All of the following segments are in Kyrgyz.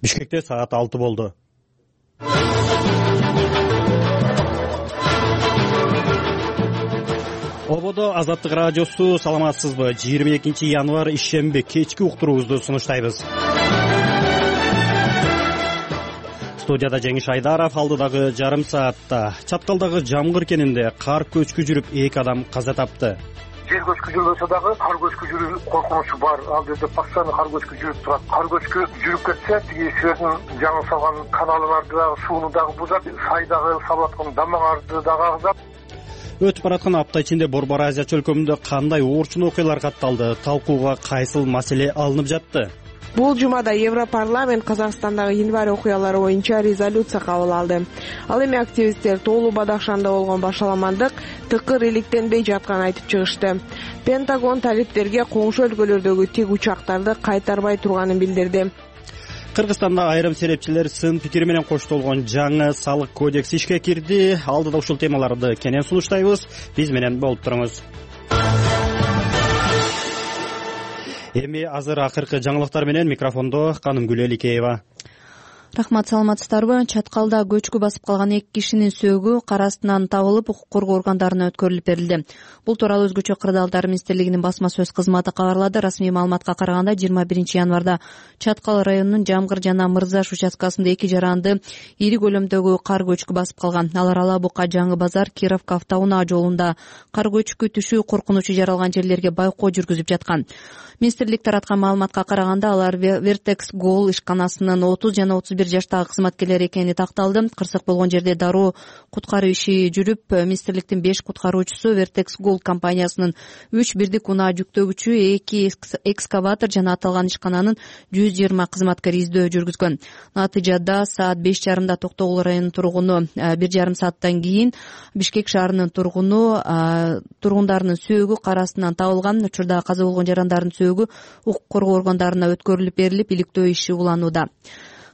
Бишкекте саат 6 болду. Ободо Азаттык радиосу, саламатсызбы? 22 январ ишемби кечки уктуруубузду сунуштайбыз. Студияда Жеңиш Айдаров. Алдыдагы жарым саатта Чаткалдагы Жамгыр кенинде кар көчкү жүрүп 2 адам каза тапты. Жер көчкү жүрбөсө дагы кар көчкү жүрүү коркунучу бар. Ал жерде постоянно кар көчкү жүрүп турат. Кар көчкү жүрүп кетсе, тиги силердин жаңы салган каналыңарды дагы, сууну дагы бузат, сайдагы салып аткан дамаңарды дагы агызат. Өтүп бараткан апта ичинде Борбор Азия чөлкөмүндө кандай оорчун окуялар катталды? Талкууга кайсыл маселе алынып жатты? Бул жумада Европарламент Казакстандагы январь окуялары боюнча резолюция кабыл алды. Ал эми активисттер Тоолуу Бадахшанда болгон башаламандык тыкыр иликтенбей жатканын айтып чыгышты. Пентагон талиптерге коңшу өлкөлөрдөгү тик учактарды кайтарбай турганын билдирди. Кыргызстанда айрым серепчилер сын пикири менен коштолгон жаңы салык кодекс ишке кирди. Алдыда ушул темаларды кенен сунуштайбыз. Биз менен болуп туруңуз. Эми азыр акыркы жаңылыктар менен микрофондо Канымгүл Эликеева. Рахмат, саламатсыздарбы? Чаткалда көчкү басып калган 2 кишинин сөөгү кар астынан табылып, укук коргоо органдарына өткөрүлүп берилди. Бул тууралуу Өзгөчө кырдаалдар министрлигинин басма сөз кызматы кабарлады. Расмий маалыматка караганда 21 январда Чаткал районунун Жамгыр жана Мырзаш участкасында 2 жаранды ири көлөмдөгү кар көчкү басып калган. Алар Ала Бука, Жаңы базар, Кировка автоунаа жолунда кар көчкү түшүү коркунучу жаралган жерлерге байкоо жүргүзүп жаткан. Министрлик тараткан маалыматка караганда алар Vertex Gold ишканасынын 30 жана 31 жаштагы кызматкерлери экени такталды. Кырсык болгон жерде дароо куткаруу иши жүрүп, министрликтин 5 куткаруучусу, Vertex Gold компаниясынын 3 бирдик унаа жүктөгүчү, 2 экскаватор жана аталган ишкананын 120 кызматкери издөө жүргүзгөн. Натыйжада саат 5:30 Токтогул районунун тургуну 1,5 сааттан кийин Бишкек шаарынын тургундарынын сөөгү кар астынан табылган. Учурда каза болгон жарандардын сөөгү укук коргоо органдарына өткөрүлүп берилип, иликтөө иши уланууда.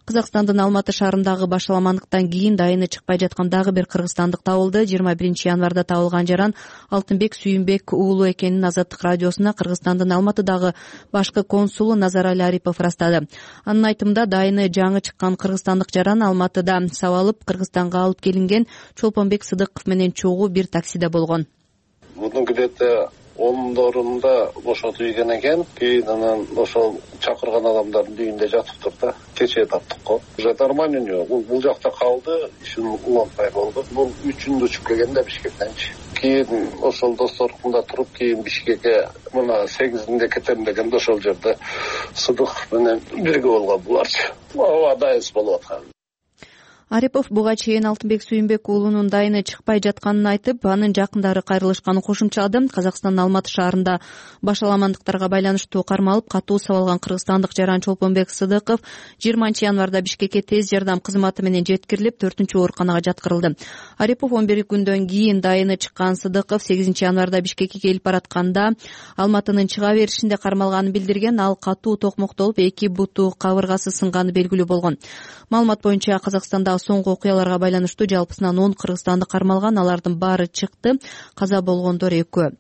Казакстандын Алматы шаарындагы башаламандыктан кийин дайыны чыкпай жаткан дагы бир кыргызстандык табылды. 21 январда табылган жаран Алтынбек Сүйүнбек уулу экенин Азаттык радиосуна Кыргызстандын Алматыдагы башкы консулу Назарали Арипов ырастады. Анын айтымында дайыны жаңы чыккан кыргызстандык жаран Алматыда сабалып Кыргызстанга алып келинген Чолпонбек Сыдыков менен чогуу бир таксиде болгон. Мунун где-то 10-орунда ошо ийген экен. Кийин анан ошол чакырган адамдардын үйүндө жатыптыр да. Кечээ таптык го. Уже нормально у него. Бул жакта калды, ишин уланбай болду. Бул 3-үндө учуп келген да Бишкектенчи. Кийин ошол досторунда туруп, кийин Бишкекке мына 8-inde кетем дегенде ошол жерде Сыдыков менен бирге болгон буларчы. Ооба дайыс болуп аткан. Арипов буга чейин Алтынбек Сүйүнбек уулунун дайыны чыкпай жатканын айтып, анын жакындары кайрылышканын кошумчалады. Казакстандын Алматы шаарында башаламандыктарга байланыштуу карма алып катуу сабалган кыргызстандык жаран Чолпонбек Сыдыков 20 январда Бишкекке тез жардам кызматы менен жеткирилип, 4-ооруканага жаткырылды. Арипов 11 күндөн кийин дайыны чыккан Сыдыков 8 январда Бишкекке келип баратканда Алматынын чыга беришинде кармалганын билдирген. Ал катуу токмоктолуп, 2 буту кабыргасы сынганы белгилүү болгон. Маалымат боюнча Казакстанда соңку окуяларга байланыштуу жалпысынан 10 кыргызстанды кармалган. Алардын баары чыкты, каза болгондор 2.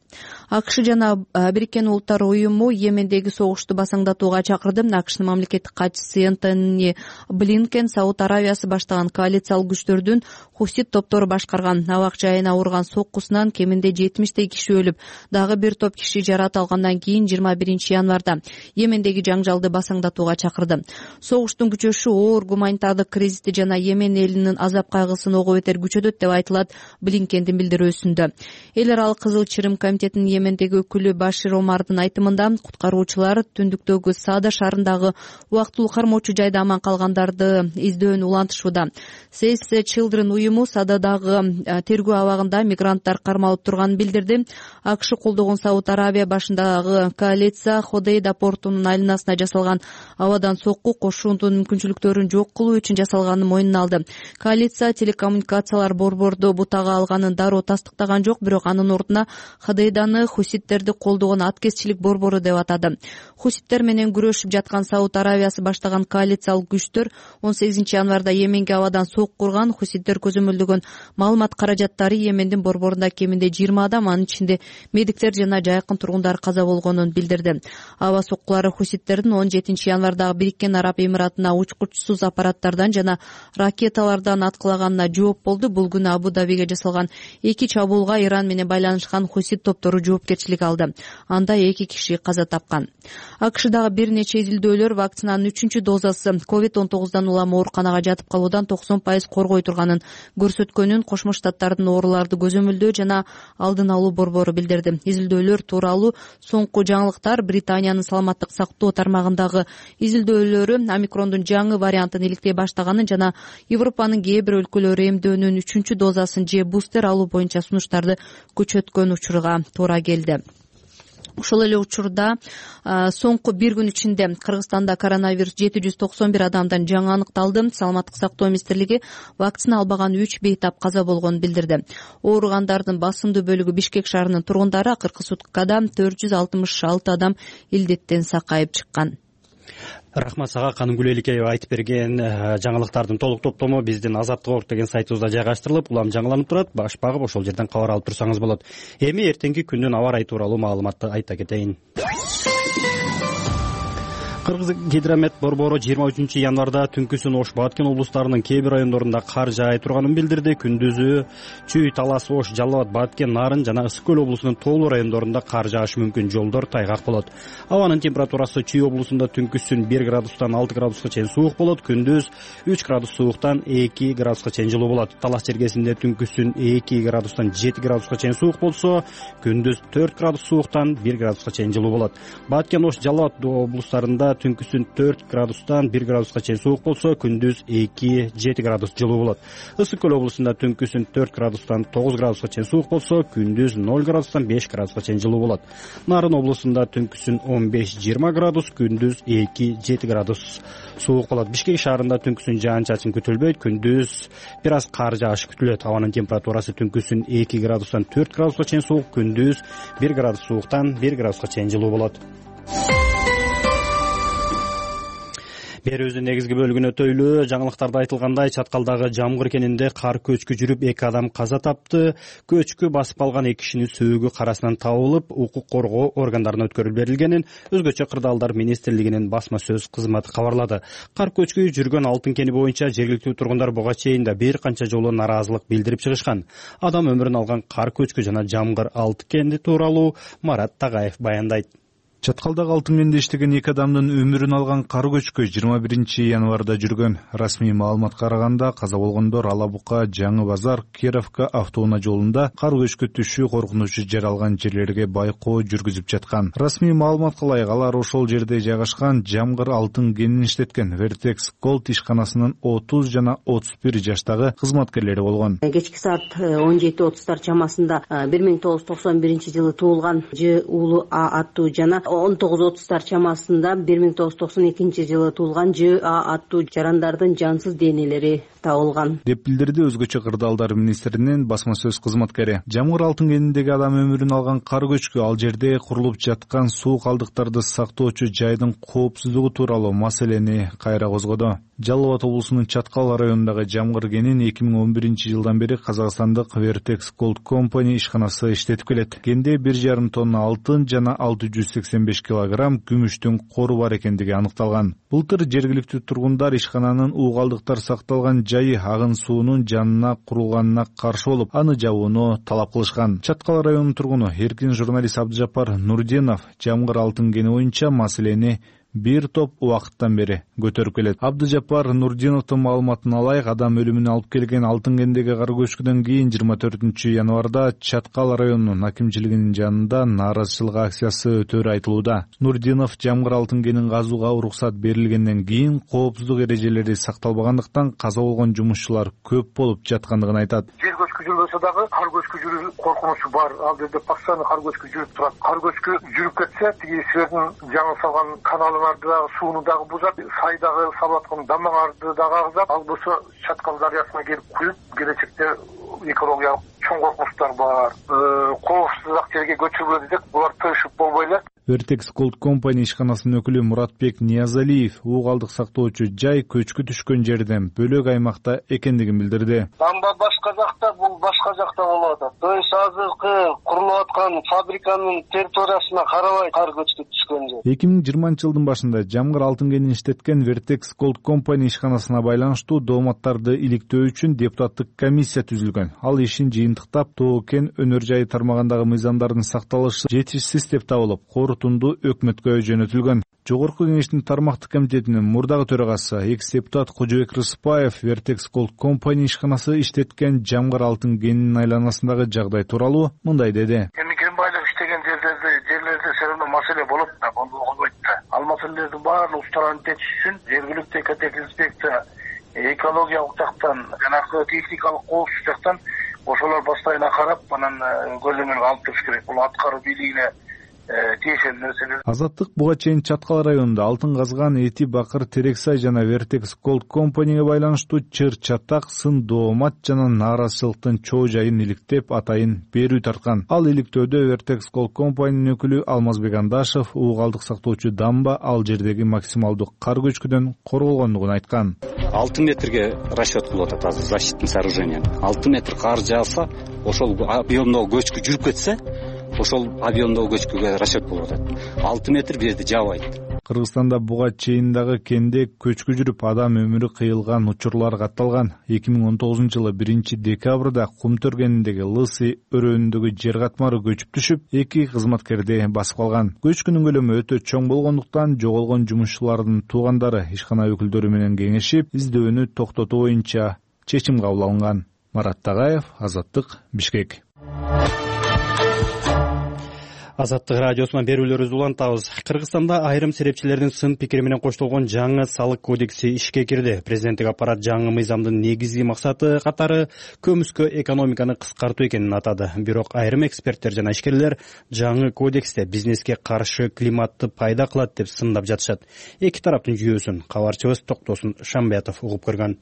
АКШ жана Бириккен Улуттар уюму Йемендеги согушту басаңдатууга чакырды. АКШнын мамлекеттик катчысы Энтони Блинкен Сауд Аравиясы баштаган коалициялык күчтөрдүн хусит топтору башкарган абак жайына урган соккусунан кеминде 70 киши өлүп, дагы бир топ киши жарат алгандан кийин 21 январда Йемендеги жаңжалды басаңдатууга чакырды. Согуштун күчөшү оор гуманитардык кризисти жана Йемен элинин азап кайгысын ого бетер күчөтөт деп айтылат Блинкендин билдирүүсүндө. Эл аралык Кызыл Чырым комитетинин Йемендеги өкүлү Башир Омардын айтымында куткаруучулар түндүктөгү Саада шаарындагы убактылуу кармоочу жайда аман калгандарды издөөнү улантышууда. Save the Children уюму Саададагы тергөө абагында мигранттар кармалып турганын билдирди. АКШ колдогон Сауд Аравия башындагы коалиция Ходейда портунун айланасына жасалган абадан сокку кошуунун мүмкүнчүлүктөрүн жок кылуу үчүн жасалганын мойнуна алды. калды. Коалиция телекоммуникациялар борборду бутага алганын дароо тастыктаган жок, бирок анын ордуна ХДИДаны хуситтерди колдогон аткезчилик борбору деп атады. Хуситтер менен күрөшүп жаткан Сауд Аравиясы баштаган коалициялык күчтөр 18 январда Йеменге абадан сок курган. Хуситтер көзөмөлдөгөн маалымат каражаттары Йемендин борборунда кеминде 20 адам, анын ичинде медиктер жана жайкын тургундар каза болгонун билдирди. Аба соккулары хуситтердин 17 январдагы Бириккен Араб Эмиратына учкучсуз аппараттардан жана ракеталардан аткылаганына жооп болду. Бул күнү Абу Дабиге жасалган 2 чабуулга Иран менен байланышкан хусит топтору жоопкерчилик алды. Анда 2 киши каза тапкан. АКШдагы бир нече изилдөөлөр вакцинанын 3-чү дозасы COVID-19 улам ооруканага жатып калуудан 90% коргой турганын көрсөткөнүн Кошмо Штаттардын ооруларды көзөмөлдөө жана алдын алуу борбору билдирди. Изилдөөлөр тууралуу соңку жаңылыктар Британиянын саламаттык сактоо тармагындагы изилдөөлөрү омикрондун жаңы вариантын иликтей баштаганын жана Европанын кээ бир өлкөлөрү эмдөөнүн 3-чү дозасын же бустер алуу боюнча сунуштарды көчөткөн учурга туура келди. Ошол эле учурда соңку бир күн ичинде Кыргызстанда коронавирус 791 адамдан жаңы аныкталды. Саламаттык сактоо министрлиги вакцина албаган 3 бейтап каза болгонун билдирди. Ооругандардын басымдуу бөлүгү Бишкек шаарынын тургундары, акыркы суткада 466 адам илдеттен сакайып чыккан. Рахмат сага. Каныгүл Эликеева айтып берген жаңылыктардын толук топтому биздин Азаттык орг деген сайтыбызда жайгаштырылып, улам жаңыланып турат. Баш багып ошол жерден кабар алып турсаңыз болот. Эми эртеңки күндүн аба ырайы тууралуу маалыматты айта кетейин. Кыргызгидромет борбору 23 январда түнкүсүн Ош, Баткен облустарынын кээ бир райондорунда кар жаай турганын билдирди. Күндүзү Чүй, Талас, Ош, Жалал Абад, Баткен, Нарын жана Ысык көл облусунун тоолуу райондорунда кар жаашы мүмкүн, жолдор тайгак болот. Абанын температурасы Чүй облусунда түнкүсүн 1 градустан 6 градуска чейин суук болот, күндүз 3 градус сууктан 2 градуска чейин жылуу болот. Талас жергесинде түнкүсүн 2 градустан 7 градуска чейин суук болсо, күндүз 4 градус сууктан 1 градуска чейин жылуу болот. Баткен, Ош, Жалал Абад облустарында түнкүсүн 4 градустан 1 градуска чейин суук болсо, күндүз 2-7 градус жылуу болот. Ысык көл облусунда түнкүсүн 4 градустан 9 градуска чейин суук болсо, күндүз 0 градустан 5 градуска чейин жылуу болот. Нарын облусунда түнкүсүн 15-20 градус, күндүз 2-7 градус суук болот. Бишкек шаарында түнкүсүн жаан-чачын күтүлбөйт, күндүз бир аз кар жаашы күтүлөт. Абанын температурасы түнкүсүн 2 градустан 4 градуска чейин суук, күндүз 1 градус сууктан 1 градуска чейин жылуу болот. Берүүбүздүн негизги бөлүгүнө өтөйлү. Жаңылыктарда айтылгандай, Чаткалдагы Жамгыр кенинде кар көчкү жүрүп 2 адам каза тапты. Көчкү басып калган 2 кишинин сөөгү карасынан табылып, укук коргоо органдарына өткөрүлүп берилгенин Өзгөчө кырдаалдар министрлигинин басма сөз кызматы кабарлады. Кар көчкү жүргөн Алтын кени боюнча жергиликтүү тургундар буга чейин да бир канча жолу нааразылык билдирип чыгышкан. Адам өмүрүн алган кар көчкү жана Жамгыр Алтын кени тууралуу Марат Тагаев баяндайт. Чаткалдагы Алтын кенде иштеген 2 адамдын өмүрүн алган кар көчкү 21 январда жүргөн. Расмий маалыматка караганда, каза болгондор Ала Бука, Жаңы Базар, Кировка автоунаа жолунда кар көчкү түшүү коркунучу жаралган жерлерге байкоо жүргүзүп жаткан. Расмий маалыматка ылайык, алар ошол жерде жайгашкан Жамгыр Алтын кенин иштеткен Vertex Gold ишканасынын 30 жана 31 жаштагы кызматкерлери болгон. Кечки саат 17:30 чамасында 1991 жылы туулган Ж уулу А аттуу жана 19:30 чамасында 1992 жылы туулган Ж А аттуу жарандардын жансыз денелери табылган деп билдирди Өзгөчө кырдаалдар министринин басма сөз кызматкери. Жамгыр Алтын кениндеги адам өмүрүн алган кар көчкү ал жерде курулуп жаткан суу калдыктарды сактоочу жайдын коопсуздугу тууралуу маселени кайра козгоду. Жалал Абад облусунун Чаткал районундагы Жамгыр кенин 2011 жылдан бери Казакстандык Vertex Gold Company ишканасы иштетип келет. Кенде 1,5 тонна алтын жана 685 килограмм күмүштүн кору бар экендиги аныкталган. Былтыр жергиликтүү тургундар ишкананын уугалдыктар сакталган жайы агын суунун жанына курулганына каршы болуп, аны жабууну талап кылышкан. Чаткал районунун тургуну эркин журналист Абдыжаппар Нурдинов Жамгыр Алтын кени боюнча маселени бир топ убакыттан бери көтөрүп келет. Абдыжаппар Нурдиновдун маалыматына ылайык, адам өлүмүнө алып келген Алтын кендеги кар көчкүдөн кийин 24 январда Чаткал районунун акимчилигинин жанында нааразычылык акциясы өтөрү айтылууда. Нурдинов Жамгыр Алтын кенин казууга уруксат берилгенден кийин коопсуздук эрежелери сакталбагандыктан каза болгон жумушчулар көп болуп жаткандыгын айтат. Жер көчкү жүрбөсө дагы кар көчкү жүрүү коркунучу бар. Ал жерде постоянно кар көчкү жүрүп турат. Кар көчкү жүрүп кетсе, тиги силердин жаңы салган каналыңарды дагы, сууну дагы бузат, сайдагы салып аткан дамаңарды дагы агызат. Ал болсо Чаткал дарыясына келип куюп, келечекте экологиялык чоң коркунучтар бар. Коопсуздак жерге көчүрүлөт десек, булар тыгышып болбой эле. Vertex Gold Company ишканасынын өкүлү Муратбек Ниязалиев уу калдык сактоочу жай көчкү түшкөн жерден бөлөк аймакта экендигин билдирди. Дамба башка жакта, бул башка жакта болуп атат. То есть азыркы курулуп аткан фабриканын территориясына карабай кар көчкү түшкөн жер. 2020-жылдын башында Жамгыр алтын кенин иштеткен Vertex Gold Company ишканасына байланыштуу дооматтарды иликтөө үчүн депутаттык комиссия түзүлгөн. Ал ишин жыйынтыктап, Тоо кен өнөр жайы тармагындагы мыйзамдардын сакталышы жетишсиз деп табылып, корутунду өкмөткө жөнөтүлгөн. Жогорку кеңештин тармактык комитетинин мурдагы төрагасы, экс-депутат Кожобек Рыспаев Vertex Gold Company ишканасы иштеткен Жамгыр алтын кенинин айланасындагы жагдай тууралуу мындай деди. Кен байлык иштеген жерлерде сериалдуу маселе болот да, болбойт да. Ал маселелердин баардык устарын чечиш үчүн жергиликтүү экотехинспекция, экологиялык жактан, жанагы техникалык коопсуздук жактан ошолор постоянно карап, анан көзөмөлгө алып туруш керек. Бул аткаруу бийлигине тиешелүү нерселер. Азаттык буга чейин Чаткал районунда алтын казган Эти Бакыр Терексай жана Vertex Gold Company'ге байланыштуу чыр чатак, сын доомат жана нааразычылыктын чоо жайын иликтеп, атайын берүү тарткан. Ал иликтөөдө Vertex Gold Company'нын өкүлү Алмазбек Андашев уу калдык сактоочу дамба ал жердеги максималдуу кар көчкүдөн корголгондугун айткан. 6 метрге расчет кылып атат азыр защитный сооружение. 6 метр кар жааса, ошол объемдогу көчкү жүрүп кетсе, ошол объемдогу көчкүгө расчет болуп атат. 6 метр бу жерде жаабайт. Кыргызстанда буга чейин дагы кенде көчкү жүрүп адам өмүрү кыйылган учурлар катталган. 2019-жылы 1-декабрда Кумтөр кениндеги Лысый өрөөнүндөгү жер катмары көчүп түшүп, 2 кызматкерди басып калган. Көчкүнүн көлөмү өтө чоң болгондуктан жоголгон жумушчулардын туугандары ишкана өкүлдөрү менен кеңешип, издөөнү токтотуу боюнча чечим кабыл алынган. Марат Тагаев, Азаттык, Бишкек. Азаттык радиосунан берүүлөрүбүздү улантабыз. Кыргызстанда айрым серепчилердин сын пикири менен коштолгон жаңы салык кодекси ишке кирди. Президенттик аппарат жаңы мыйзамдын негизги максаты катары көмүскө экономиканы кыскартуу экенин атады. Бирок айрым эксперттер жана ишкерлер жаңы кодексте бизнеске каршы климатты пайда кылат деп сындап жатышат. Эки тараптын жүйөсүн кабарчыбыз Токтосун Шамбиятов угуп көргөн.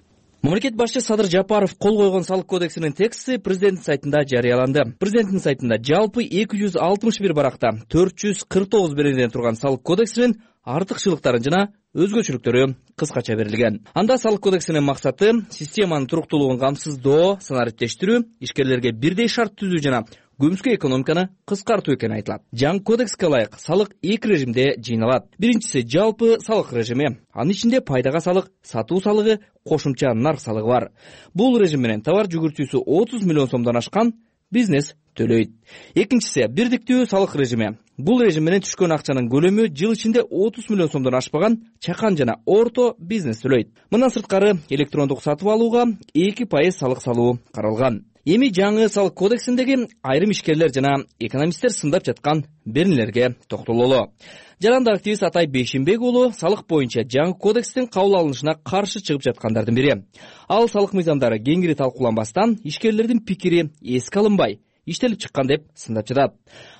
Мамлекет башчы Садыр Жапаров кол койгон салык кодексинин тексти президенттин сайтында жарыяланды. Президенттин сайтында жалпы 261 баракта 449 беренеден турган салык кодексинин артыкчылыктары жана өзгөчөлүктөрү кыскача берилген. Анда салык кодексинин максаты системанын туруктуулугун камсыздоо, санариптештирүү, ишкерлерге бирдей шарт түзүү жана көмүскө экономиканы кыскартуу экени айтылат. Жаңы кодекске ылайык салык 2 режимде жыйналат. Биринчиси жалпы салык режими. Анын ичинде пайдага салык, сатуу салыгы, кошумча нарк салыгы бар. Бул режим менен товар жүгүртүүсү 30 миллион сомдон ашкан бизнес төлөйт. Экинчиси бирдиктүү салык режими. Бул режим менен түшкөн акчанын көлөмү жыл ичинде 30 миллион сомдон ашпаган чакан жана орто бизнес төлөйт. Мындан сырткары электрондук сатып алууга 2% салык салуу каралган. Эми жаңы салык кодексиндеги айрым ишкерлер жана экономисттер сындап жаткан беренелерге токтололу. Жаранды активист Атай Бейшимбек уулу салык боюнча жаңы кодекстин кабыл алынышына каршы чыгып жаткандардын бири. Ал салык мыйзамдары кеңири талкууланбастан ишкерлердин пикири эске алынбай, иштелип чыккан деп сындап жатат.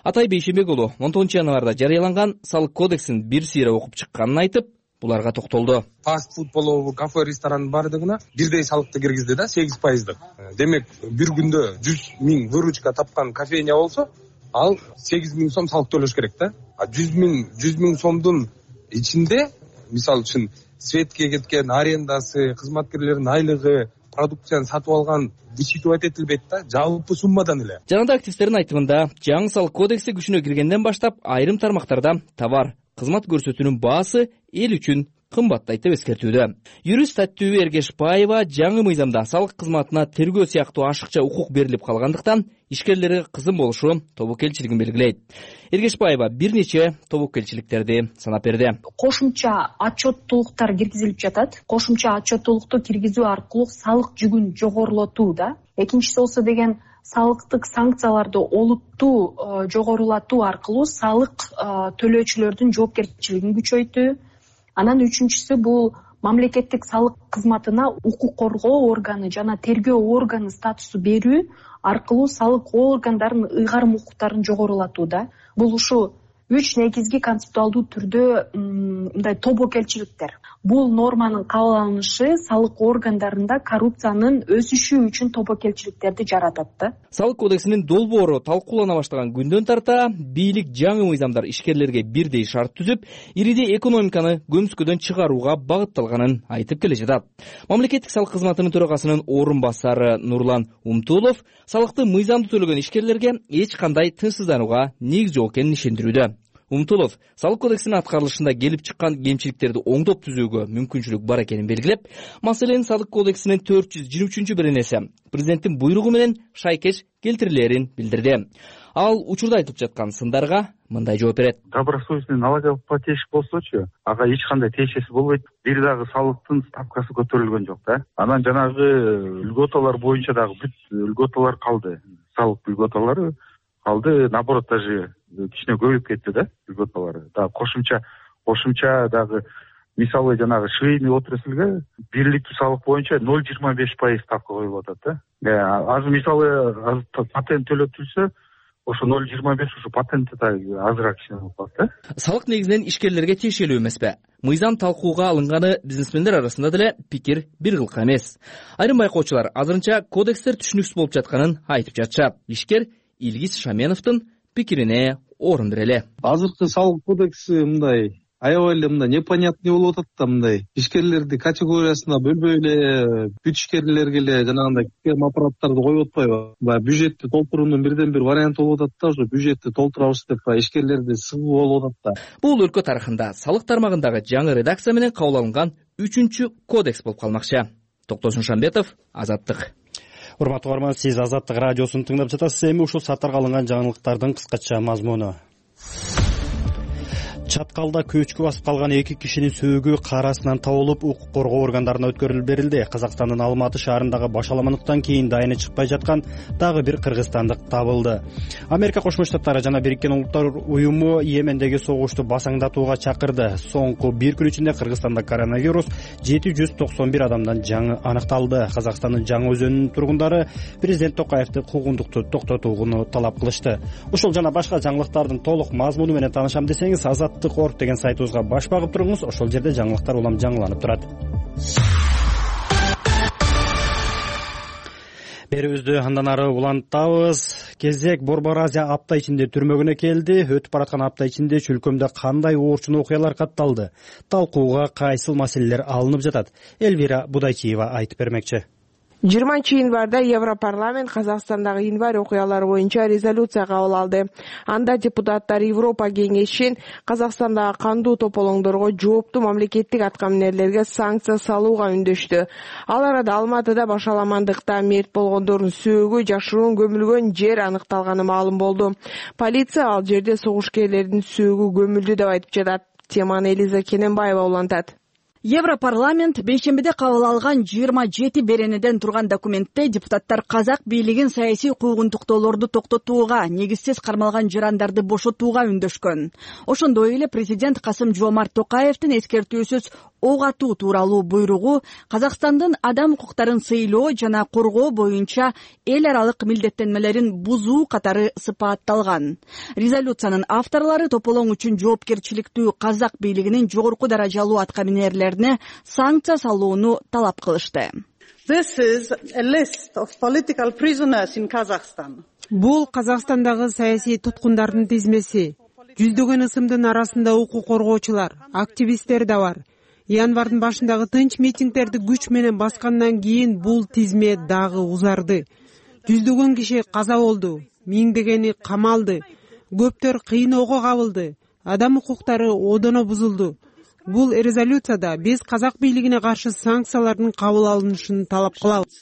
Атай Бейшимбек уулу 19-январда жарыяланган салык кодексин бир сыйра окуп чыкканын айтып, буларга токтолду. Фастфуд болобу, кафе, ресторан бардыгына бирдей салыкты киргизди да, 8%. Демек, бир күндө 100 000 выручка тапкан кофейня болсо, ал 8 000 сом салык төлөш керек да. 100 000 сомдун ичинде, мисалы үчүн, светке кеткен арендасы, кызматкерлердин айлыгы, продукцияны сатып алган вычитывать этилбейт да, жалпы суммадан эле. Жанагы активисттердин айтымында, жаңы салык кодекси күчүнө киргенден баштап айрым тармактарда товар, кызмат көрсөтүүнүн баасы эл үчүн кымбаттайт деп эскертүүдө. Юрист Таттуу Эргешбаева жаңы мыйзамда салык кызматына тергөө сыяктуу ашыкча укук берилип калгандыктан ишкерлерге кызым болушу тобокелчилигин белгилейт. Эргешбаева бир нече тобокелчиликтерди санап берди. Кошумча отчеттуулуктар киргизилип жатат. Кошумча отчеттуулукту киргизүү аркылуу салык жүгүн жогорулатуу да. Экинчиси болсо деген салыктык санкцияларды олуттуу жогорулатуу аркылуу салык төлөөчүлөрдүн жоопкерчилигин күчөйтүү. Анан үчүнчүсү бул мамлекеттик салык кызматына укук коргоо органы жана тергөө органы статусу берүү аркылуу салык органдарынын ыйгарым укуктарын жогорулатууда. Бул ушу 3 негизги концептуалдуу түрдө мындай тобокелчиликтер. Бул норманын кабыл алынышы салык органдарында коррупциянын өсүшү үчүн тобокелчиликтерди жаратат да. Салык кодексинин долбоору талкуулана баштаган күндөн тарта бийлик жаңы мыйзамдар ишкерлерге бирдей шарт түзүп, иридей экономиканы көмүскөдөн чыгарууга багытталганын айтып келе жатат. Мамлекеттик салык кызматынын төрагасынын орун басары Нурлан Умтулов салыкты мыйзамдуу төлөгөн ишкерлерге эч кандай тынчсызданууга негиз жок экенин ишендирүүдө. Умтулов салык кодексинин аткарылышында келип чыккан кемчиликтерди оңдоп түзүүгө мүмкүнчүлүк бар экенин белгилеп, маселенин салык кодексинин 423-беренеси президенттин буйругу менен шайкеш келтирилерин билдирди. Ал учурда айтып жаткан сындарга мындай жооп берет. Добросовестный налогоплательщик болсочу, ага эч кандай тиешеси болбойт. Бир дагы салыктын ставкасы көтөрүлгөн жок да. Анан жанагы льготалар боюнча дагы бүт льготалар калды. Салык льготалары калды, наоборот даже кичине көбөйүп кетти да льготалары. Да кошумча дагы мисалы жанагы швейный отрасльге бирликтүү салык боюнча 0,25% ставка коюлуп атат да. Азыр мисалы патент төлөтүлсө, ошо 0,25 ушу патенти да азыраак кичине болуп калат да. Салык негизинен ишкерлерге тиешелүү эмеспи? Мыйзам талкууга алынганы бизнесмендер арасында деле пикир бир кылка эмес. Айрым байкоочулар азырынча кодекстер түшүнүксүз болуп жатканын айтып жатышат. Ишкер Илгиз Шаменовдун пикирине орун берели. Азыркы салык кодекси мындай аябай эле мындай непонятный болуп атат да, мындай ишкерлерди категориясына бөлбөй эле бүт ишкерлерге эле жанагындай кем аппараттарды коюп атпайбы? Баягы бюджетти толтуруунун бирден бир варианты болуп атат да, ошо бюджетти толтурабыз деп ишкерлерди сыгуу болуп атат да. Бул өлкө тарыхында салык тармагындагы жаңы редакция менен кабыл алынган 3-чү кодекс болуп калмакчы. Токтосун Шамбетов, Азаттык. Урматтуу угарман, сиз Азаттык радиосун тыңдап жатасыз. Эми ушул сааттарга алынган жаңылыктардын кыскача мазмуну. Чаткалда көчкү басып калган 2 кишинин сөөгү карасынан табылып, укук коргоо органдарына өткөрүлүп берилди. Казакстандын Алматы шаарындагы башаламандыктан кийин дайыны чыкпай жаткан дагы бир кыргызстандык табылды. Америка Кошмо Штаттары жана Бириккен Улуттар уюму Йемендеги согушту басаңдатууга чакырды. Соңку 1 күн ичинде Кыргызстанда коронавирус 791 адамдан жаңы аныкталды. Казакстандын Жаңы Өзөнүнүн тургундары президент Токаевди куугундукту токтотууну талап кылышты. Ушул жана башка жаңылыктардын толук мазмуну менен таанышам десеңиз, Азаттык.org деген сайтыбызга баш багып туруңуз. Ошол жерде жаңылыктар улам жаңыланып турат. Берүүбүздү андан ары улантабыз. Кезек Борбор Азия апта ичинде түрмөгүнө келди. Өтүп бараткан апта ичинде чөлкөмдө кандай оорчун окуялар катталды? Талкууга кайсыл маселелер алынып жатат? Элвира Будайчиева айтып бермекчи. 20-январда Европарламент Казакстандагы январь окуялары боюнча резолюция кабыл алды. Анда депутаттар Европа кеңешин Казакстандагы кандуу тополоңдорго жооптуу мамлекеттик аткаминерлерге санкция салууга үндөштү. Ал арада Алматыда башаламандыкта мерт болгондордун сөөгү жашыруун көмүлгөн жер аныкталганы маалым болду. Полиция ал жерде согушкерлердин сөөгү көмүлдү деп айтып жатат. Теманы Элиза Кененбаева улантат. Европарламент бейшембиде кабыл алган 27 беренеден турган документте депутаттар казак бийлигин саясий куугунтуктоолорду токтотууга, негизсиз кармалган жарандарды бошотууга үндөшкөн. Ошондой эле президент Касым-Жомарт Токаевдин эскертүүсүз ок атуу тууралуу буйругу Казакстандын адам укуктарын сыйлоо жана коргоо боюнча эл аралык милдеттенмелерин бузуу катары сыпатталган. Резолюциянын авторлору тополоң үчүн жоопкерчиликтүү казак бийлигинин жогорку даражалуу аткаминерлери санкция салууну талап кылышты. Бул Казакстандагы саясий туткундардын тизмеси. Жүздөгөн ысымдын арасында укук коргоочулар, активисттер да бар. Январдын башындагы тынч митингдерди күч менен баскандан кийин бул тизме дагы узарды. Жүздөгөн киши каза болду, миңдегени камалды, көптөр кыйноого кабылды, адам укуктары одоно бузулду. Бул резолюцияда биз казак бийлигине каршы санкциялардын кабыл алынышын талап кылабыз.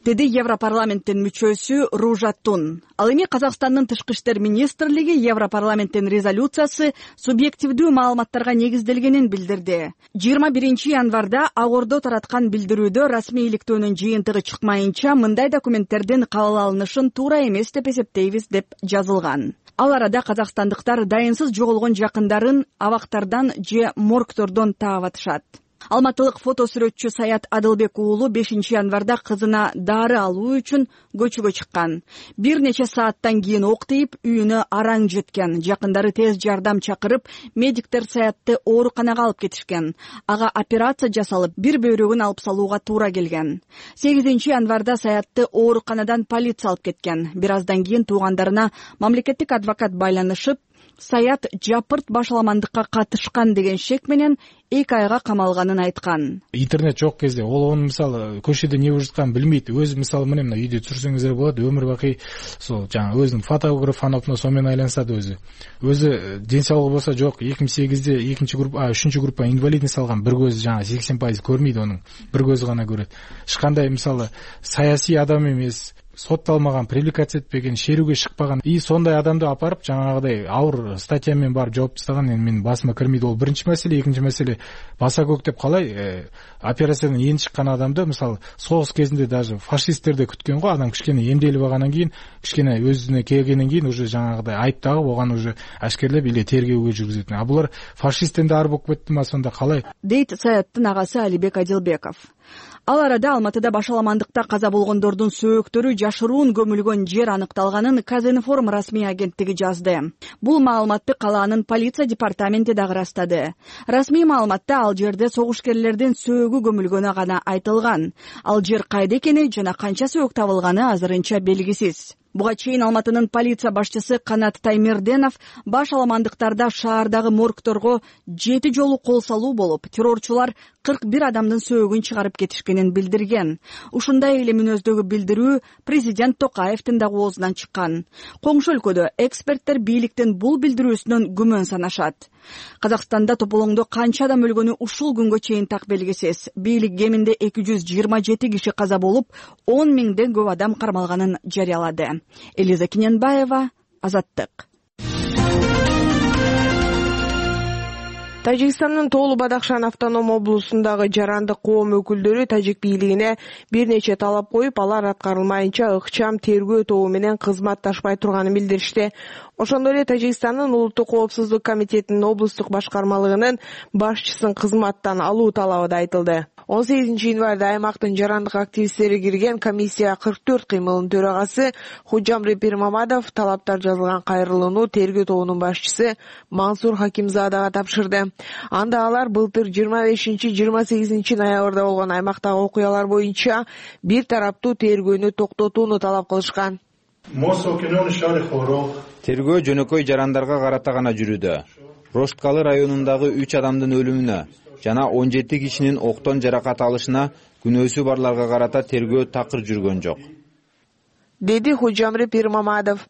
Деди Европарламенттин мүчөсү Ружа Тун. Ал эми Казакстандын тышкы иштер министрлиги Европарламенттин резолюциясы субъективдүү маалыматтарга негизделгенин билдирди. 21 январда Ак Ордо тараткан билдирүүдө расмийликтөөнүн жыйынтыгы чыкмайынча мындай документтердин кабыл алынышын туура эмес деп эсептейбиз деп жазылган. Ал арада казакстандыктар дайынсыз жоголгон жакындарын абактардан же моргтордон таап атышат. Алматылык фотосүрөтчү Саят Адылбек уулу 5 январда кызына дары алуу үчүн көчөгө чыккан. Бир нече сааттан кийин ок тийип, үйүнө араң жеткен. Жакындары тез жардам чакырып, медиктер Саятты ооруканага алып кетишкен. Ага операция жасалып, бир бөйрөгүн алып салууга туура келген. 8 январда Саятты ооруканадан полиция алып кеткен. Бир аздан кийин туугандарына мамлекеттик адвокат байланышып, Саят жапырт башаламандыкка катышкан деген шек менен 2 айга камалганын айткан. Интернет жок кезде ол мисалы көчөдө эмне болуп жатканын билбейт. Өзү мисалы мына үйдө түсүрсөңүздөр болот, өмүр бакый сол жаңа өзүнүн фотограф анапына сомен айлансат өзү. Өзү ден соолугу болсо жок. 2008-де 3 группа инвалидность алган, бир көзү жаңа 80% көрмөйт анын. Бир көзү гана көрөт. Эч кандай мисалы саясий адам эмес, сотталмаган, привлекация этпеген, шерүүгө чыкпаган. И сондай адамды апарып жаңагыдай ауыр статья менен барып жооп тастаган менин басыма кирмейт. Ол биринчи маселе. Экинчи маселе, баса көктөп калай операциядан эни чыккан адамды мисалы согуш кезинде даже фашисттерди күткөн го, адам кичкене эмделип алгандан кийин, кичкене өзүнө келгенден кийин уже жаңагыдай айып тагып, оган уже ашкерлеп эле тергөөгө жүргүзөт. А булар фашисттен да ар болуп кеттиме, сонда калай? Дейт Саяттын агасы Алибек Адилбеков. Ал арада Алматыда башаламандыкта каза болгондордун сөөктөрү жашыруун көмүлгөн жер аныкталганын Казинформ расмий агенттиги жазды. Бул маалыматты калаанын полиция департаменти дагы ырастады. Расмий маалыматта ал жерде согушкерлердин сөөгү көмүлгөнү гана айтылган. Ал жер кайда экени жана канча сөөк табылганы азырынча белгисиз. Буга чейин Алматынын полиция башчысы Канат Таймерденов башаламандыктарда шаардагы моргторго 7 жолу кол салуу болуп, террорчулар 41 адамдын сөөгүн чыгарып кетишкенин билдирген. Ушундай эле мүнөздөгү билдирүү президент Токаевдин дагы оозунан чыккан. Коңшу өлкөдө эксперттер бийликтин бул билдирүүсүнөн күмөн санашат. Казакстанда тополоңдо канча адам өлгөнү ушул күнгө чейин так белгисиз. Бийлик кеминде 227 киши каза болуп, 10 миңден көп адам кармалганын жарыялады. Элиза Киненбаева, Азаттык. Тажикстандын Тоолу Бадахшан автоном облусундагы жарандык коом өкүлдөрү тажик бийлигине бир нече талап коюп, алар аткарылмайынча ыкчам тергөө тобу менен кызматташпай турганын билдиришти. Ошондой эле Тажикстандын Улуттук коопсуздук комитетинин облустук башкармалыгынын башчысын кызматтан алуу талабы да айтылды. 18 январда аймактын жарандык активисттери кирген комиссия 44 кыймылынын төрагасы Худжамри Пирмамадов талаптар жазылган кайрылууну тергөө тобунун башчысы Мансур Хакимзадага тапшырды. Анда алар былтыр 25-28 ноябрда болгон аймактагы окуялар боюнча бир тараптуу тергөөнү токтотууну талап кылышкан. Тергөө жөнөкөй жарандарга карата гана жүрүүдө. Рошткалы районундагы 3 адамдын өлүмүнө жана 17 кишинин октон жаракат алышына күнөөсү барларга карата тергөө такыр жүргөн жок, деди Худжамри Пирмамадов.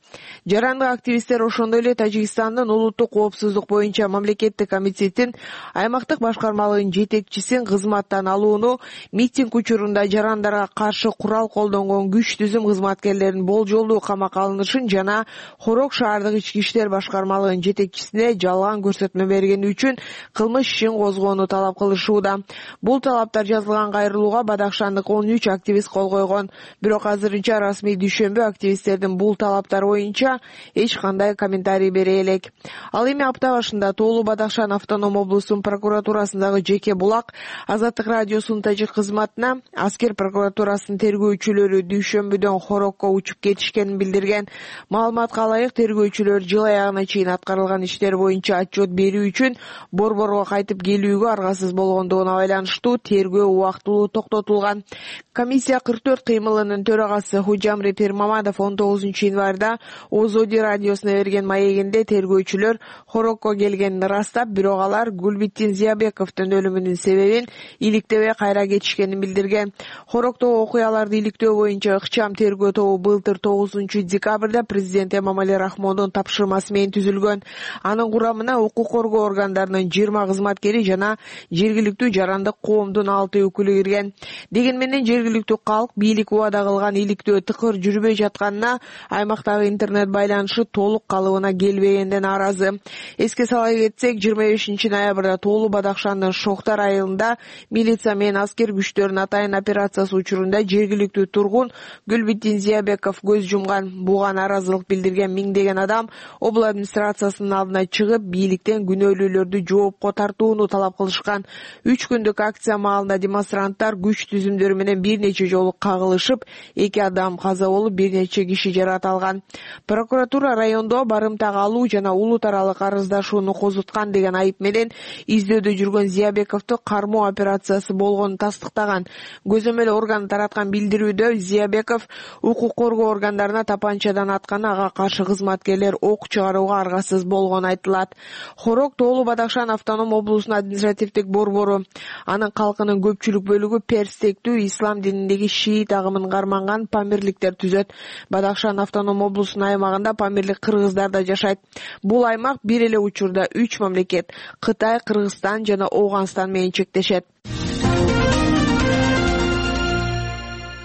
Жарандык активисттер ошондой эле Тажикстандын Улуттук коопсуздук боюнча мамлекеттик комитеттин аймактык башкармалыгынын жетекчисин кызматтан алууну, митинг учурунда жарандарга каршы курал колдонгон күч түзүм кызматкерлеринин болжолдуу камакка алынышын жана Хорок шаардык ички иштер башкармалыгынын жетекчисине жалган көрсөтмө бергени үчүн кылмыш ишин козгоону талап кылышууда. Бул талаптар жазылган кайрылууга Бадахшандык 13 активист кол койгон. Бирок азырынча расмий активисттердин бул талаптар боюнча эч кандай комментарий бере элек. Ал эми апта башында Тоолу Бадахшан автоном облусунун прокуратурасындагы жеке булак Азаттык радиосунун тажик кызматына аскер прокуратурасынын тергөөчүлөрү дүйшөмбүдөн Хорокко учуп кетишкенин билдирген. Маалыматка ылайык, тергөөчүлөр жыл аягына чейин аткарылган иштер боюнча отчет берүү үчүн борборго кайтып келүүгө аргасыз болгондугуна байланыштуу тергөө убактылуу токтотулган. Комиссия 44 кыймылынын төрагасы Худжамри Пирмамадов 19 январда Озоди радиосуна берген маегинде тергөөчүлөр Хорокко келгенин ырастап, бирок алар Гулбиттин Зиябековдун өлүмүнүн себебин иликтебей кайра кетишкенин билдирген. Хороктогу окуяларды иликтөө боюнча ыкчам тергөө тобу былтыр 9 декабрда президент Эмомали Рахмондун тапшырмасы менен түзүлгөн. Анын курамына укук коргоо органдарынын 20 кызматкери жана жергиликтүү жарандык коомдун 6 өкүлү кирген. Дегенменен жергиликтүү калк бийлик убада кылган иликтөө тыкыр жүрүп бербей жатканына, аймактагы интернет байланышы толук калыбына келбегенден нааразы. Эске сала кетсек, 25-ноябрда Тоолу Бадакшандын Шохтар айылында милиция менен аскер күчтөрүнүн атайын операциясы учурунда жергиликтүү тургун Гүлбитдин Зиябеков көз жумган. Буга нааразылык билдирген миңдеген адам обл администрациясынын алдына чыгып, бийликтен күнөөлүүлөрдү жоопко тартууну талап кылышкан. 3 күндүк акция маалында демонстранттар күч түзүмдөрү менен бир нече жолу кагылышып, 2 адам каза болуп, бир нече киши жаракат алган. Прокуратура райондо барымтага алуу жана улут аралык арыздашууну козуткан деген айып менен издөөдө жүргөн Зиябековду кармоо операциясы болгонун тастыктаган. Көзөмөл орган тараткан билдирүүдө Зиябеков укук коргоо органдарына тапанчадан атканы, ага каршы кызматкерлер ок чыгарууга аргасыз болгону айтылат. Хорок Тоолу Бадакшан автоном облусунун административдик борбору. Анын калкынын көпчүлүк бөлүгү перстектүү ислам дининдеги шиит агымын карманган памирликтер түзөт. Бадакшан автоном облусунун аймагында памирлик кыргыздар да жашайт. Бул аймак бир эле учурда 3 мамлекет — Кытай, Кыргызстан жана Ооганстан менен чектешет.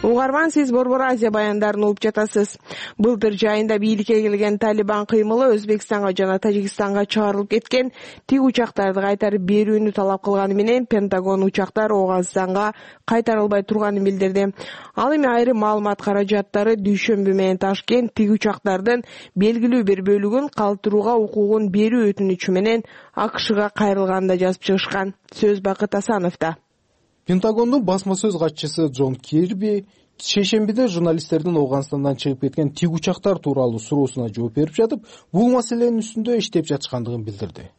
Угарман, сиз Борбор Азия баяндарын угуп жатасыз. Былтыр жайында бийликке келген Талибан кыймылы Өзбекстанга жана Тажикстанга чыгарылып кеткен тик учактарды кайтарып берүүнү талап кылганы менен Пентагон учактар Ооганстанга кайтарылбай турганын билдирди. Ал эми айрым маалымат каражаттары дүйшөмбү менен Ташкент тик учактардын белгилүү бир бөлүгүн калтырууга укугун берүү өтүнүчү менен АКШга кайрылганын да жазып чыгышкан. Сөз Бакыт Асановдо. Пентагондун басма сөз катчысы Джон Кирби шейшембиде журналисттердин Ооганстандан чыгып кеткен тик учактар тууралуу суроосуна жооп берип жатып, бул маселенин үстүндө иштеп жатышкандыгын билдирди.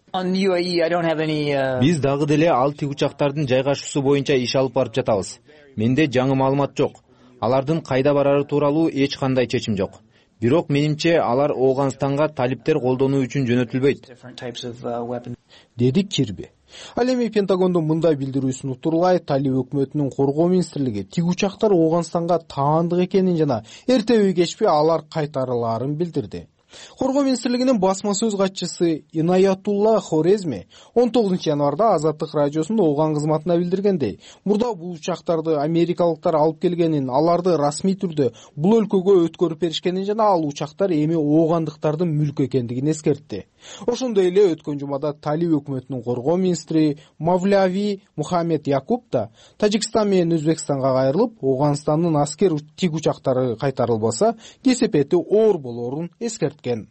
Биз дагы деле ал тик учактардын жайгашуусу боюнча иш алып барып жатабыз. Менде жаңы маалымат жок. Алардын кайда барары тууралуу эч кандай чечим жок. Бирок менимче алар Ооганстанга талиптер колдонуу үчүн жөнөтүлбөйт, деди Кирби. Ал эми Пентагондун мындай билдирүүсүн утурлай, Талиб өкмөтүнүн коргоо министрлиги тик учактар Ооганстанга таандык экенин жана эртеби кечпи алар кайтарылаарын билдирди. Коргоо министрлигинин басма сөз катчысы Инаятулла Хорезми 19 январда Азаттык радиосунун Ооган кызматына билдиргендей, мурда бул учактарды америкалыктар алып келгенин, аларды расмий түрдө бул өлкөгө өткөрүп беришкенин жана ал учактар эми оогандыктардын мүлкү экендигин эскертти. Ошондой эле өткөн жумада Талиб өкмөтүнүн коргоо министри Мавляви Мухаммед Якуб да Тажикстан менен Өзбекстанга кайрылып, Ооганстандын аскер тик учактары кайтарылбаса, кесепети оор болоорун эскерткен.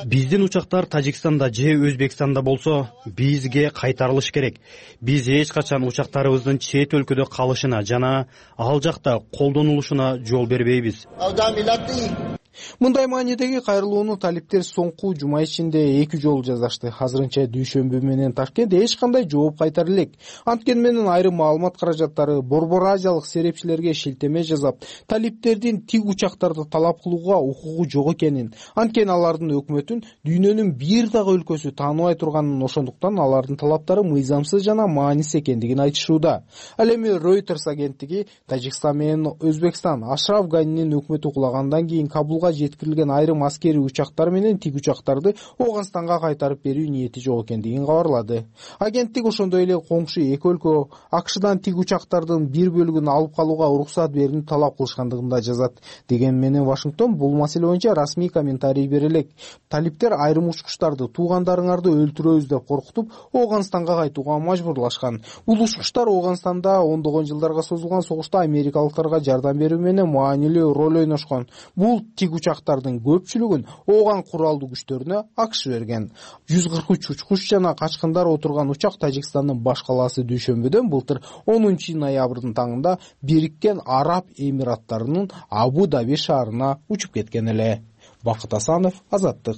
Биздин учактар Тажикстанда же Өзбекстанда болсо, бизге кайтарылыш керек. Биз эч качан учактарыбыздын чет өлкөдө калышына жана ал жакта колдонулушуна жол бербейбиз. Мындай маанидеги кайрылууну талиптер соңку жума ичинде 2 жолу жазашты. Азырынча дүйшөмбү менен Ташкент эч кандай жооп кайтара элек. Анткени менен айрым маалымат каражаттары Борбор Азиялык серепчилерге шилтеме жасап, талиптердин тик учактарды талап кылууга укугу жок экенин, анткени алардын өкмөтүн дүйнөнүн бир дагы өлкөсү тааныбай турганын, ошондуктан алардын талаптары мыйзамсыз жана маанисиз экендигин айтышууда. Ал эми Reuters агенттиги Тажикстан менен Өзбекстан Ашраф Ганинин өкмөтү кулагандан кийин Кабулга жеткирилген айрым аскерий учактар менен тик учактарды Ооганстанга кайтарып берүү ниети жок экендигин кабарлады. Агенттик ошондой эле коңшу эки өлкө АКШдан тик учактардын бир бөлүгүн алып калууга уруксат берүүнү талап кылышкандыгын да жазат. Деген менен Вашингтон бул маселе боюнча расмий комментарий бере элек. Талиптер айрым учкучтарды туугандарыңарды өлтүрөбүз деп коркутуп, Ооганстанга кайтууга мажбурлашкан. Бул учкучтар Ооганстанда ондогон жылдарга созулган согушта америкалыктарга жардам берүү менен маанилүү роль ойношкон. Бул тик учактардын көпчүлүгүн Ооган куралдуу күчтөрүнө АКШ берген. 143 учкуч жана качкындар отурган учак Тажикстандын баш калаасы Дүйшөмбүдөн былтыр 10 ноябрдын таңында Бириккен Араб Эмираттарынын Абу Даби шаарына учуп кеткен эле. Бакыт Асанов, Азаттык.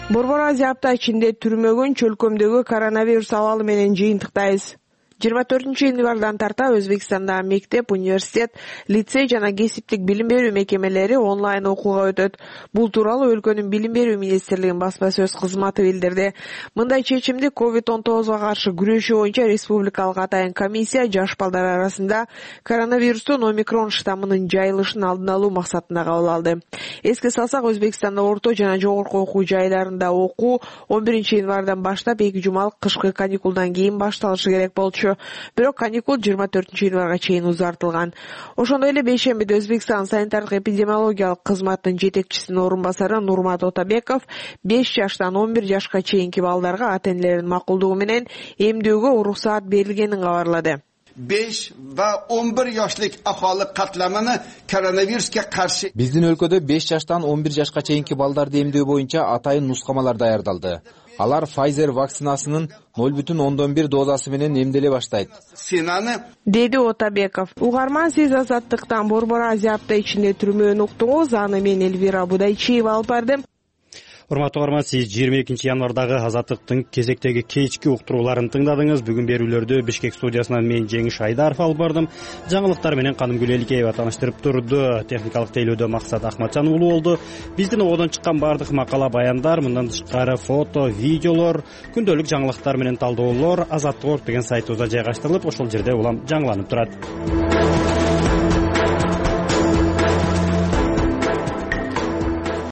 Борбор Азия апта ичинде түрмөгүн чөлкөмдөгү коронавирус абалы менен жыйынтыктайбыз. 24 январдан тарта Өзбекстандагы мектеп, университет, лицей жана кесиптик билим берүү мекемелери онлайн окууга өтөт. Бул тууралуу өлкөнүн билим берүү министрлигинин басма сөз кызматы билдирди. Мындай чечимди COVID-19 каршы күрөшүү боюнча республикалык атайын комиссия жаш балдар арасында коронавирустун омикрон штаммынын жайылышын алдын алуу максатында кабыл алды. Эске салсак, Өзбекстанда орто жана жогорку окуу жайларында окуу 11 январдан баштап 2 жумалык кышкы каникулдан кийин башталышы керек болчу. Бирок каникул 24 январга чейин узартылган. Ошондой эле бейшембиде Өзбекстан санитардык эпидемиологиялык кызматтын жетекчисинин орун басары Нурмат Отабеков 5 жаштан 11 жашка чейинки балдарга ата-энелеринин макулдугу менен эмдөөгө уруксаат берилгенин кабарлады. 5 va 11 yoshlik aholi qatlamini koronavirusga qarshi биздин өлкөдө 5 жаштан 11 жашка чейинки балдарды эмдөө боюнча атайын нускамалар даярдалды. Алар Pfizer вакцинасынын 0,1 дозасы менен эмделе баштайт, деди Отабеков. Угарман, сиз Азаттыктан Борбор Азия апта ичинде түрмөөнү уктуңуз. Аны мен Элвира Будайчиева алып бардым. Урматтуу угарман, сиз 22 январдагы Азаттыктын кезектеги кечки уктурууларын тыңдадыңыз. Бүгүн берүүлөрдү Бишкек студиясынан мен Жеңиш Айдаров алып бардым. Жаңылыктар менен Канымгүл Эликеева тааныштырып турду. Техникалык тейлөөдө Максат Ахматжан уулу болду. Биздин ободон чыккан бардык макала, баяндар, мындан тышкары фото, видеолор, күндөлүк жаңылыктар менен талдоолор Азаттык.org деген сайтыбызда жайгаштырылып, ошол жерде улам жаңыланып турат.